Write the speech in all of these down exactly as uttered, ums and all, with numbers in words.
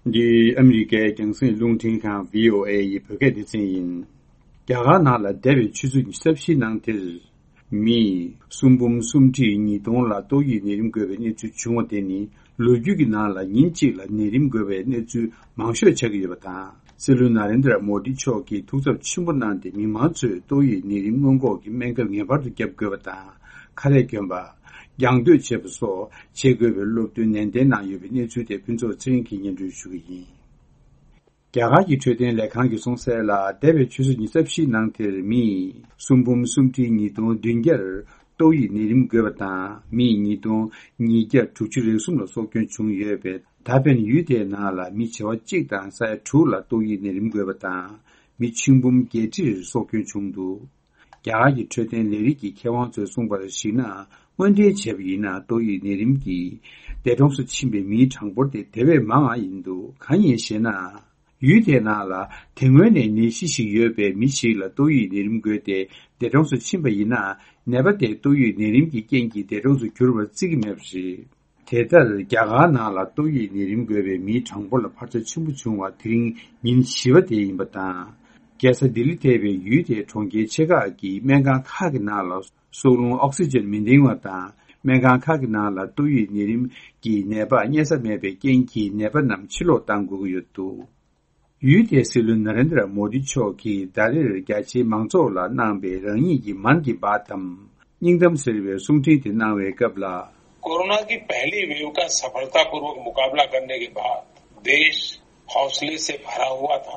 འདི་ཨ་མི་རི་ཀའི་རྒྱང་སྲིང་རླུང་འཕྲིན་ཁང་བྷི་ཨོ་ཨེ་ཡི་བོད་སྐད་སྡེ་ཚན་ཡིན། རྒྱ་གར་ནང་ལ་འདས་པའི་ཆུ་ཚོད་ཉི་ཤུ་རྩ་བཞིའི་ནང་དེར། མི་སུམ་འབུམ་སུམ་ཁྲི་ཉིས་སྟོང་ལ་ཏོག་དབྱིབས་ནད་རིམས་འགོས་པའི་གནས་ཚུལ་བྱུང་བ་དེ་ནི་ལོ་རྒྱུས་ཀྱི་ནང་ལ་ཉིན་གཅིག་ལ་ནད་རིམས་འགོས་པའི་གནས་ཚུལ་མང་ཤོས་ཆགས་ཀྱི་ཡོད་པ་དང་། སྲིད་བློན་ན་རེན་དྲ་མོ་དི་མཆོག་གིས་ཐུགས་འཚབ་ཆེན་པོ་གནང་སྟེ། མི་མང་ཚོས་ཏོག་དབྱིབས་ནད་རིམས་སྔོན་འགོག་གི་སྨན་ཁབ་ངེས་པར་དུ་བརྒྱབ་དགོས་པ་དང་། ཁ་རས་གྱོན་པ། རྒྱང་སྡོད་བྱེད་པ་སོགས་བྱེད་དགོས་པའི་སློབ་སྟོན་ནན་ཏན་གནང་ཡོད་པའི་གནས་ཚུལ་དེ་ཕུན་ཚོགས་ཚེ་རིང་གིས་སྙན་སྒྲོན་ཞུ་གི་ཡིན། རྒྱ་གར་གྱི་འཕྲོད་བསྟེན་ལས་ཁང་གིས་གསུངས་གསལ་ལ། འདས་པའི་ཆུ་ཚོད་ཉི་ཤུ་རྩ་བཞིའི་ནང་དེར་མི་སུམ་འབུམ་སུམ་ཁྲི་ཉིས་སྟོང་བདུན་བརྒྱར་ཏོག་དབྱིབས་ནད་རིམས་འགོས་པ་དང་། མི་ཉིས་སྟོང་ཉིས་བརྒྱ་དྲུག་ཅུ་རེ་གསུམ་ལ་སྲོག་སྐྱོན་བྱུང་ཡོད་པས། ད་ཕན་ཡུལ་དེའི་ནང་ལ་མི་བྱེ་བ་གཅིག་དང་ས་ཡ་དྲུག་ལ་ཏོག་དབྱིབས་ནད་རིམས་འགོས་པ་དང་། མི་ཆིག་འབུམ་བརྒྱད་ཁྲིར་སྲོག་སྐྱོན་བྱུང་འདུག། རྒྱ་གར་གྱི་འཕྲོད་བསྟེན་ལས་རིགས་ཀྱི་མཁས་དབང་ཚོས་གསུངས་པར་གཞིགས་ན། དངོས་འབྲེལ་བྱས་པ་ཡིན་ན། ཏོག་དབྱིབས་ནད་རིམས་ཀྱིས་འདས་གྲོངས་སུ་ཕྱིན་པའི་མིའི་གྲངས་འབོར་དེ་དེ་བས་མང་བ་ཡིན་འདུག། གང་ཡིན་ཞེ་ན། ཡུལ་དེའི་ནང་ལ་དེ་སྔོན་ནས་ནད་གཞི་ཞིག་ཡོད་པའི་མི་ཞིག་ལ་ཏོག་དབྱིབས་ནད་རིམས་འགོས་ཏེ་འདས་གྲོངས་སུ་ཕྱིན་པ་ཡིན་ན། ནད་པ་དེ་ཏོག་དབྱིབས་ནད་རིམས་ཀྱི་རྐྱེན་གྱིས་འདས་གྲོངས་སུ་གྱུར་པར་བརྩི་གི་མེད་པ་རེད། དེ་ལྟར་རྒྱ་གར་ནང་ལ་ཏོག་དབྱིབས་ནད་རིམས་འགོས་པའི་མིའི་གྲངས་འབོར་ལ་འཕར་ཆ་ཆེན་པོ་བྱུང་བ་དེ་རིང་ཉིན་བཞི་པ་དེ་ཡིན་པ་དང་། རྒྱལ་ས་ལྡི་ལི་ཐེ་བའི་ཡུལ་དེའི་གྲོང་ཁྱེར་ཆེ་ཁག་གི་སྨན་ཁང་ཁག་གི་ནང་ལ་སྲོག་རླུང་ཨོག་སི་ཇན་མི་འདང་བ་དང་། སྨན་ཁང་ཁག་གི་ནང་ལ་ཏོག་དབྱིབས་ནད་རིམས་ཀྱི་ནད་པ་རྙེད་ས་མེད་པའི་རྐྱེན་གྱིས། ནད་པ་རྣམས་ཕྱིར་ལོག་གཏང་དགོས་ཀྱི་ཡོད་འདུག། ཡུལ་དེའི་སྲིད་བློན་ན་རེན་དྲ་མོ་དི་མཆོག་གིས་ཟླ་རེར་རྒྱ་ཆེའི་མང་ཚོགས་ལ་གནང་པའི་རང་ཉིད་ཀྱི་མན་གྱི་བཱད་དམ་སྙིང་གཏམ་ཟེར་བའི་གསུང་འཕྲིན་དེ་གནང་བའི་སྐབས་ལ། कोरोना की पहली वेव का सफलतापूर्वक मुकाबला करने के बाद देश हौसले से भरा हुआ था।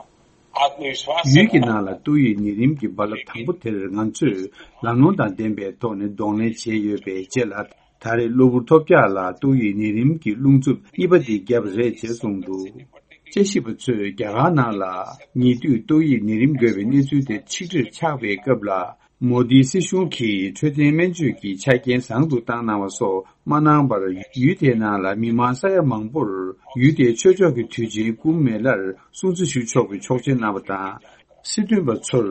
आत्मविश्वास से ཡུལ་གྱི་भरा ནང་ལ་ཏོག་དབྱིབས་ནད་རིམས་ཀྱི་རྦ་རླབས་དང་པོ་དེར་ང་ཚོས་ལམ་ལྷོང་དང་ལྡན་པའི་ཐོག་ནས་གདོང་ལེན་བྱས་ཡོད་པའི་རྗེས་ལ། ད་རེས་གློ་བུར་ཐོལ་རྒྱག་ལ་ཏོག་དབྱིབས་ནད་རིམས་ཀྱི་རླུང་འཚུབ་གཉིས་པ་འདི་བརྒྱབ་རེད་ཅེས་གསུངས་འདུག། དཔྱད་ཞིབ་པ་ཚོས་རྒྱ་གར་ནང་ལ་ཉེ་དུས་ཏོག་དབྱིབས་ནད་རིམས་འགོས་པའི་གནས་ཚུལ་དེ་ཆིག་སྒྲིལ་ཆགས་པའི་སྐབས་ལ། མོ་དིའི་སྲིད་གཞུང་གིས་འཕྲོད་བསྟེན་སྨན་བཅོས་ཀྱི་ཆ་རྐྱེན་བཟང་དུ་བཏང་གནང་བ་སོགས་མ་གནང་བར། ཡུལ་དེའི་ནང་ལ་མི་མང་ས་ཡ་མང་པོར་ཡུལ་དེའི་ཆོས་ཕྱོགས་ཀྱི་དུས་ཆེན་ཀུམ་མེ་ལར་སྲུང་བརྩི་ཞུ་ཆོག་པའི་ཆོག་མཆན་གནང་བ་དང་། སྲིད་དོན་པ་ཚོར་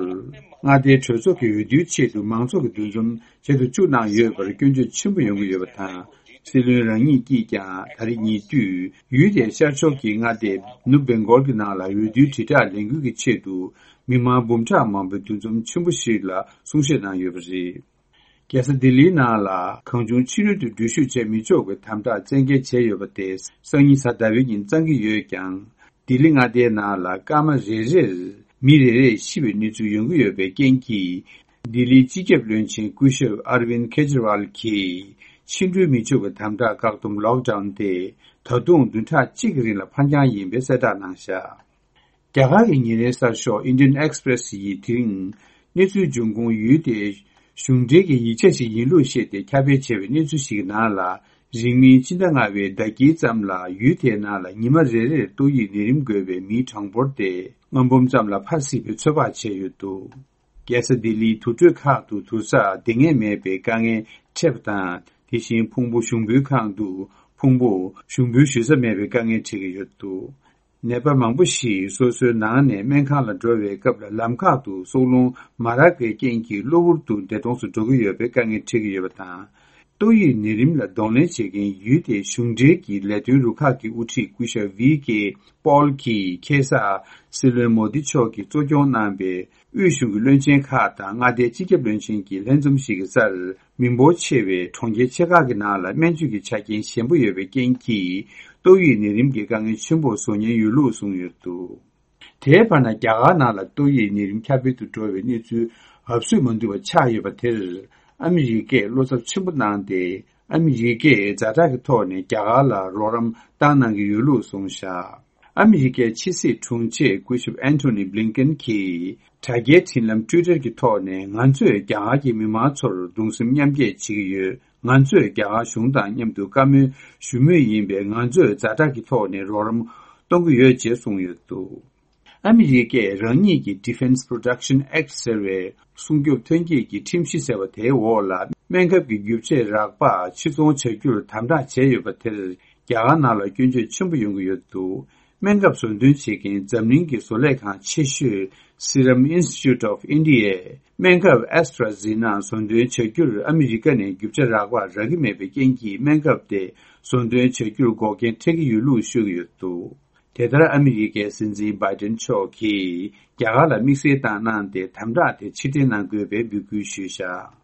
མངའ་སྡེའི་གྲོས་ཚོགས་ཀྱི་འོས་བསྡུའི་ཆེད་དུ་མང་ཚོགས་ཀྱི་འདུ་འཛོམས་བྱེད་དུ་བཅུག་གནང་ཡོད་པར་སྐྱོན་བརྗོད་ཆེན་པོ་ཡོང་གི་ཡོད་པ་དང་། སྲིད་བློན་རང་ཉིད་ཀྱིས་ཀྱང་ད་རེས་ཉེ་དུས་ཡུལ་དེའི་ཤར་ཕྱོགས་ཀྱི་མངའ་སྡེ་ནུབ་བེང་གོལ་གྱི་ནང་ལ་འོས་བསྡུའི་དྲིལ་བསྒྲགས་ལས་འགུལ་གྱི་ཆེད་དུ་མི་མང་འབུམ་ཕྲག་མང་པོའི་འདུ་འཛོམས་ཆེན་པོ་ཞིག་ལ་གསུང་བཤད་གནང་ཡོད་པ་རེད། རྒྱལ་ས་ལྡི་ལིའི་ནང་ལ་གང་བྱུང་ཕྱི་རོལ་དུ་འགྲུལ་བཞུད་བྱེད་མི་ཆོག་པའི་དམ་དྲག་བཙན་འགེལ་བྱས་ཡོད་པ་དེ་སང་ཉིན་གཟའ་ཟླ་བའི་ཉིན་གཙང་གི་ཡོད་ཀྱང་། ལྡི་ལི་མངའ་སྡེའི་ནང་ལ་སྐར་མ་རེ་རེར་མི་རེ་རེ་ཤི་བའི་གནས་ཚུལ་ཡོང་གི་ཡོད་པའི་རྐྱེན་གྱིས། ལྡི་ལིའི་སྤྱི་ཁྱབ་བློན་ཆེན་སྐུ་ཞབས་ཨར་ཝིན་ཁེ་ཇི་རི་ཝལ་གྱིས་ཕྱི་འགྲུལ་མི་ཆོག་པའི་དམ་དྲག་བཀག་སྡོམ་ལོག་ཌའོན་དེ་ད་དུང་བདུན་ཕྲག་གཅིག་གི་རིང་ལ་ཕར་འགྱངས་ཡིན་པའི་གསལ་བསྒྲགས་གནང་བཞག། རྒྱ་གར་གྱི་ཉིན་རེའི་གསར་ཤོག་Indian Express་ཡིས་དེ་རིང་གནས་ཚུལ་འབྱུང་ཁུངས་ཡུལ་དེའི་གཞུང་འབྲེལ་གྱི་ཡིག་ཆ་ཞིག་ཡིན་ལུགས་བཤད་དེ་ཁྱབ་སྤེལ་བྱས་པའི་གནས་ཚུལ་ཞིག་གི་ནང་ལ། རིང་མིན་ཕྱི་ཟླ་ལྔ་པའི་ཟླ་དཀྱིལ་ཙམ་ལ་ཡུལ་དེའི་ནང་ལ་ཉི་མ་རེ་རེར་ཏོག་དབྱིབས་ནད་རིམས་འགོས་པའི་མིའི་གྲངས་འབོར་དེ་ལྔ་འབུམ་ཙམ་ལ་འཕར་སྲིད་པའི་ཚོད་དཔག་བྱས་ཡོད་འདུག། རྒྱལ་ས་ལྡི་ལིའི་དུར་ཁྲོད་ཁག་ཏུ་དུར་ས་སྡེ་ངེས་མེད་པའི་དཀའ་ངལ་འཕྲད་པ་དང་། དེ་བཞིན་ཕུང་པོ་ཞུགས་འབུལ་ཁང་དུ་ཕུང་པོ་ཞུགས་འབུལ་ཞུ་ས་མེད་པའི་དཀའ་ངལ་འཕྲད་ཀྱི་ཡོད་འདུག། ནད་པ་མང་པོ་ཞིག་སོ་སོའི་ནང་ནས་སྨན་ཁང་ལ་འགྲོ་བའི་སྐབས་ལ་ལམ་ཁག་ཏུ་སྲོག་རླུང་མ་རག་པའི་རྐྱེན་གྱིས་གློ་བུར་དུ་འདས་གྲོངས་སུ་འགྲོ་གི་ཡོད་པའི་དཀའ་ངལ་འཕྲད་ཀྱི་ཡོད་པ་དང་། ཏོག་དབྱིབས་ནད་རིམས་ལ་གདོང་ལེན་བྱེད་མཁན་ཡུལ་དེའི་གཞུང་འབྲེལ་གྱི་ལས་དོན་རུ་ཁག་གི་དབུ་ཁྲིད་སྐུ་ཞབས་ཝི་ཀེ་པོལ་གྱིས་ཁ་སང་སྲིད་བློན་མོ་དི་མཆོག་གིས་གཙོ་སྐྱོང་གནང་པའི་དབུས་གཞུང་གི་བློན་ཆེན་ཁག་དང་མངའ་སྡེའི་སྤྱི་ཁྱབ་བློན་ཆེན་གྱི་ལྷན་འཛོམས་ཤིག་གི་སར། མི་འབོར་ཆེ་བའི་གྲོང་ཁྱེར་ཆེ་ཁག་གི་ནང་ལ་སྨན་བཅོས་ཀྱི་ཆ་རྐྱེན་ཞན་པོ་ཡོད་པའི་རྐྱེན་གྱིས། ཏོག་དབྱིབས་ནད་རིམས་ཀྱི་དཀའ་ངལ་ཆེན་པོ་བཟོ་ཉེན་ཡོད་ལུགས་གསུངས་ཡོད་འདུག། དེའི་བར་ན། རྒྱ་གར་ནང་ལ་ཏོག་དབྱིབས་ནད་རིམས་ཁྱབ་སྤེལ་དུ་འགྲོ་བའི་གནས་ཚུལ་འབབ་སོད་མ་འདུག་པ་ཆགས་ཡོད་པ་དེར། ཨ་མི་རི་ཀས་བློ་འཚབ་ཆེན་པོ་གནང་སྟེ། ཨ་མི་རི་ཀས་ཛ་དྲག་གི་ཐོག་ནས་རྒྱ་གར་ལ་རོགས་རམ་བཏང་གནང་གི་ཡོད་ལུགས་གསུངས་བཞག། ཨ་མི་རི་ཀའི་ཕྱི་སྲིད་དྲུང་ཆེ་སྐུ་ཞབས་ཨན་ཐོ་ནི་བྷི་ལིན་ཀེན་གྱིས་དྲ་རྒྱའི་འཕྲིན་ལམ་ཊུའི་ཊར་གྱི་ཐོག་ནས། ང་ཚོས་རྒྱ་གར་གྱི་མི་མང་ཚོར་གདུང་སེམས་མཉམ་སྐྱེད་བྱེད་ཀྱི་ཡོད། ང་ཚོས་རྒྱ་གར་གཞུང་དང་མཉམ་དུ་བཀའ་མོལ་ཞུ་མུས་ཡིན་པས། ང་ཚོས་ཛ་དྲག་གི་ཐོག་ནས་རོགས་རམ་གཏོང་གི་ཡོད་ཅེས་གསུངས་ཡོད་འདུག། ཨ་མི་རི་ཀས་རང་ཉིད་ཀྱི་Defense Production Act་ཟེར་བའི་སྲུང་སྐྱོབ་ཐོན་སྐྱེད་ཀྱི་ཁྲིམས་གཞི་ཟེར་བ་དེའི་འོག་ལ། སྨན་ཁབ་ཀྱི་རྒྱུ་ཆ་རག་པ་ཕྱིར་ཚོང་བྱ་རྒྱུར་དམ་དྲག་བྱས་ཡོད་པ་དེར། རྒྱ་གར་ནང་ལ་སྐྱོན་བརྗོད་ཆེན་པོ་ཡོང་གི་ཡོད་འདུག། སྨན་ཁབ་བཟོ་འདོན་བྱེད་མཁན་འཛམ་གླིང་གི་བཟོ་ལས་ཁང་ཆེ་ཤོས་Serum Institute of India་སྨན་ཁབ་AstraZeneca་བཟོ་འདོན་བྱ་རྒྱུར་ཨ་མི་རི་ཀ་ནས་རྒྱུ་ཆ་རག་པ་རག་གི་མེད་པའི་རྐྱེན་གྱིས། སྨན་ཁབ་དེ་བཟོ་འདོན་བྱ་རྒྱུར་འགོག་རྐྱེན་འཕྲད་ཀྱི་ཡོད་ལུགས་ཤོད་ཀྱི་ཡོད་འདུག། དེ་ལྟར་ཨ་མི་རི་ཀའི་སྲིད་འཛིན་བྷའི་ཏིན་མཆོག་གིས་རྒྱ་གར་ལ་དམིགས་བསལ་བཏང་གནང་སྟེ་དམ་དྲག་དེ་ཕྱིར་འཐེན་གནང་དགོས་པའི་འབོད་སྐུལ་ཞུས་བཞག་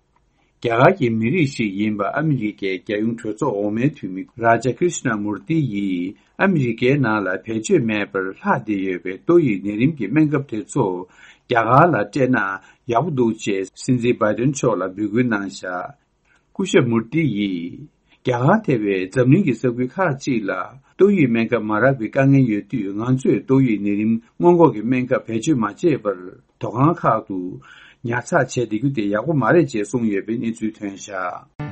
རྒྱ་གར་གྱི་མི་རིགས་ཤིག་ཡིན་པ་ཨ་མི་རི་ཀའི་རྒྱལ་ཡོངས་གྲོས་ཚོགས་འོག་མའི་འཐུས་མི་རཱ་ཇ་ཀྲིཤ་ན་མུར་ཏི་ཡིས་ཨ་མི་རི་ཀའི་ནང་ལ་བེད་སྤྱོད་མེད་པར་ལྷག་བསྡད་ཡོད་པའི་ཏོག་དབྱིབས་ནད་རིམས་ཀྱི་སྨན་ཁབ་དེ་ཚོ་རྒྱ་གར་ལ་སྤྲད་ན་ཡག་པོ་འདུག་ཅེས་སྲིད་འཛིན་བྷའི་ཏིན་མཆོག་ལ་འབོད་སྐུལ་གནང་བཞག་སྐུ་ཞབས་མུར་ཏི་ཡིས། རྒྱ་གར་ཐེ་བའི་འཛམ་གླིང་གི་ས་ཁུལ་ཁག་ཅིག་ལ་ཏོག་དབྱིབས་སྨན་ཁབ་མ་རག་པའི་དཀའ་ངལ་ཡོད་དུས། ང་ཚོས་ཏོག་དབྱིབས་ནད་རིམས་སྔོན་འགོག་གི་སྨན་ཁབ་བེད་སྤྱོད་མ་བྱས་པར། དོ་ཁང་ཁག་ཏུ་ཉར་ཚགས་བྱས་བསྡད་རྒྱུ་དེ་ཡག་པོ་མ་རེད་ཅེས་གསུངས་ཡོད་པའི་གནས་ཚུལ་ཐོན་བཞག